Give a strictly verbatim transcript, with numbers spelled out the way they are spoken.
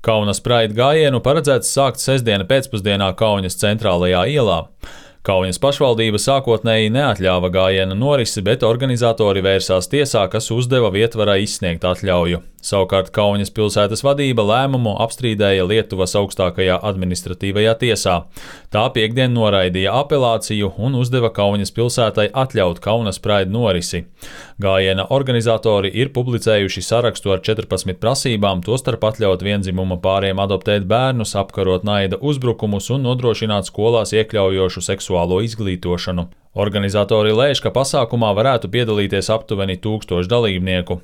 Kaunas Pride gājienu paredzēts sākt sestdiena pēcpusdienā Kaunas centrālajā ielā. Kaunas pašvaldība sākotnēji neatļāva gājiena norisi, bet organizatori vērsās tiesā, kas uzdeva Vietvarai izsniegt atļauju. Savukārt Kaunas pilsētas vadība lēmumu apstrīdēja Lietuvas augstākajā administratīvajā tiesā. Tā piektdien noraidīja apelāciju un uzdeva Kaunas pilsētai atļaut Kaunas Pride norisi. Gājiena organizatori ir publicējuši sarakstu ar četrpadsmit prasībām, tostarp atļaut vienzimuma pāriem adoptēt bērnus, apkarot naida uzbrukumus un nodrošināt skolās iekļaujošu seksuālo izglītošanu. Organizatori lēš, ka pasākumā varētu piedalīties aptuveni tūkstoši dalībnieku.